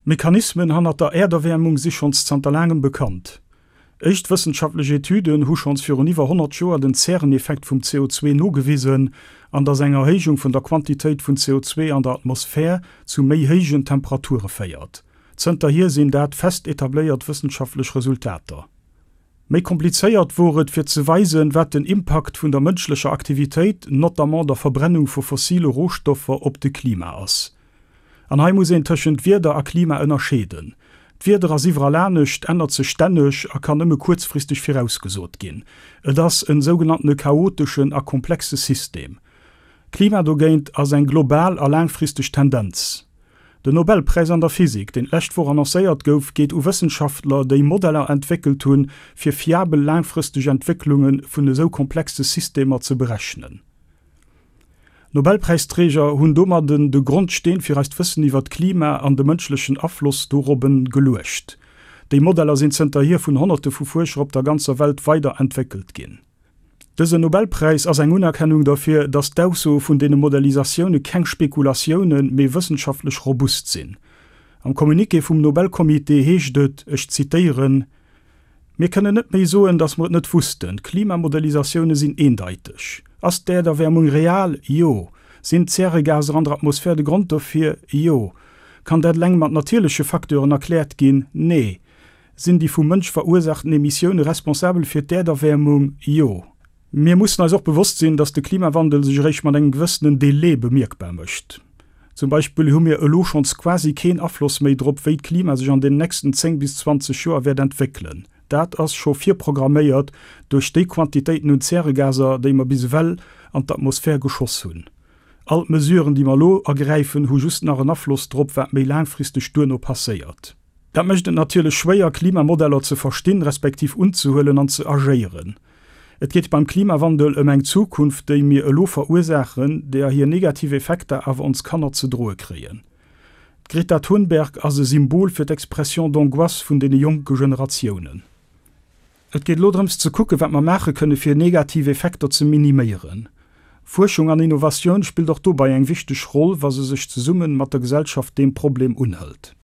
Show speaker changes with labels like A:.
A: D'Mechanismen hannert der Äerderwäermung si schonns zanter laangem bekannt. Éischt wëssenschaftlech Etüden hu schonns virun iwwer 100 Joer den Zäreneffekt vum CO2 nogewisen an datt eng Erhéijung vun der Quantitéit vun CO2 an der Atmosphär zu méi héijen Temperature féiert. Zënterhier sinn dat fest etabléiert wëssenschaftlech Resultater. Méi komplizéiert wor et fir ze weisen, wat den Impakt vun der mënschlecher Aktivitéit, notamment der Verbrennung vu fossile Rohstoffer, op de Klima ass. An hei muss een tëschent Wieder a Klima ënnerscheeden. D'Wieder ass iwwerall anescht, ännert sech stänneg a kann nëmme kuerzfristeg virausgesot ginn. Et ass en sougenanntene chaoteschen a komplexe System. D'Klima dogéint ass eng global a laangfristeg Tendenz. Den Nobelpräis an der Physik, deen d'lescht Woch annoncéiert gouf, geet u Wëssenschaftler, déi Modeller entwéckelt hunn, fir fiabel laangfristeg Entwécklunge vun esou komplexe Systemer ze berechnen. D'Nobelpräisträger hunn domadden de Grondsteen fir eist Wëssen iwwer d'Klima an de mënschlechen Afloss dorobben geluecht. Déi Modeller sinn zënterhier vun Honnerte vu Fuerscher op der ganzer Welt weider entwéckelt ginn. Dësen Nobelpräis ass eng Unerkennung derfir, datt d'Aussoe vun deene Modellisatioune keng Spekulatiounen, mee wëssenschaftlech robust sinn. Am Communiqué vum Nobelcomité heescht et, ech zitéieren, Mir kënnen net méi soen, datt mer et net wussten. D'Klimamodellisatioune sinn eendeiteg. Ass d'Äerderwäermung real? Jo. Sinn d'Zäregaser an der Atmosphär de Grond dofir? Jo. Kann dat eleng mat natierleche Facteuren erkläert ginn? Nee. Sinn déi vum Mënsch verursaachten Emissioune responsabel fir d'Äerderwäermung? Jo. Mir mussen eis och bewosst sinn, datt de Klimawandel sech eréischt mat engem gewëssenen Delai bemierkbar mécht. Zum Beispill hu mir elo schonns quasi keen Afloss méi drop, wéi d'Klima sech an den nächsten 10 bis 20 Joer wäert entwéckelen. Dat ass scho virprogramméiert duerch déi Quantitéiten un Zäregaser, déi mer bis ewell an d'Atmosphär geschoss hunn. All d'Mesuren, déi mer elo ergräifen, hu just nach en Afloss drop, wat méi laangfristeg duerno passéiert. Dat mécht et natierlech schwéier, Klimamodeller ze verstinn, respektiv unzehuelen an ze agéieren. Et geet beim Klimawandel ëm eng Zukunft, déi mir elo verursaachen, deeër hir negativ Effekter awer ons Kanner ze droe kréien. D'Greta Thunberg ass e Symbol fir d'Expression d'angoisse vun deene jonke Generatiounen. Et geet elo drëms ze kucken, wat mer maache kënne fir negativ Effekter ze miniméieren. Fuerschung an Innovatioun spillt och dobei eng wichteg Roll, wa se sech zesumme mat der Gesellschaft deem Problem unhëlt.